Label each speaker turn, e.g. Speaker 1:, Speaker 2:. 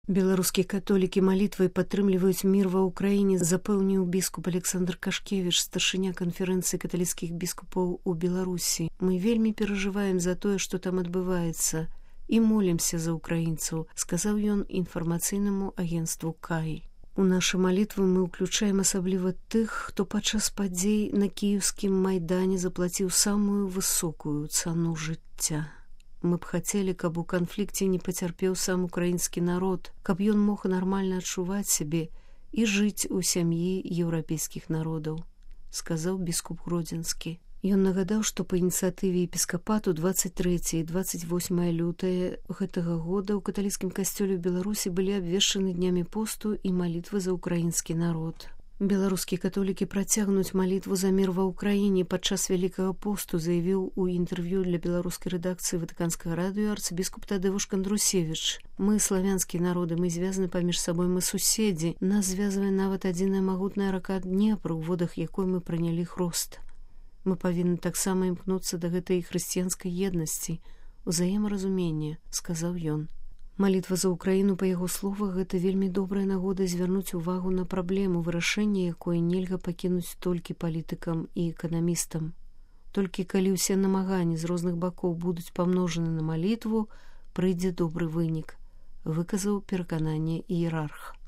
Speaker 1: Беларускія католікі малітвай падтрымліваюць мір ва ўкраіне, запэўніў біскуп Александр Кашкевіч, старшыня канферэнцыі каталіцкіх біскупаў у Беларусі. Мы вельмі перажываем за тое, што там адбываецца, і молімся за украінцаў, сказаў ён інфармацыйнаму агенцтву КАІ. У нашы малітвы мы ўключаем асабліва тых, хто падчас падзей на кіеўскім майдане заплаціў самую высокую цану жыцця. Мы б хацелі, каб у канфлікце не пацярпеў сам украінскі народ, каб ён мог нармальна адчуваць сябе і жыць у сям'і еўрапейскіх народаў, сказаў біскуп Гродзенскі. Ён нагадаў, што па ініцыятыве епіскапату 23 і 28 лютае гэтага года ў каталіцкім касцёле ў Беларусі былі абвешчаны днямі посту і малітвы за украінскі народ. Беларускія католікі працягнуць малітву за мір ва ўкраіне падчас вялікага посту, заявіў у інтэрв'ю для беларускай рэдакцыі Ватыканскага радыё арцыбіскуп Тадеуш Кандрусевіч. Мы, славянскія народы, мы звязаны паміж сабой, мы суседзі. Нас звязвае нават адзіная магутная рака Днепр, у водах якой мы прынялі хрост. Мы павінны таксама імкнуцца да гэтай хрысціянскай еднасці, узаемаразумення, сказаў ён. Малітва за ўкраіну, па яго словах, гэта вельмі добрая нагода звярнуць увагу на праблему, вырашэння якой нельга пакінуць толькі палітыкам і эканамістам. Толькі калі ўсе намаганні з розных бакоў будуць памножаны на малітву, прыйдзе добры вынік, выказаў перакананне іерарх.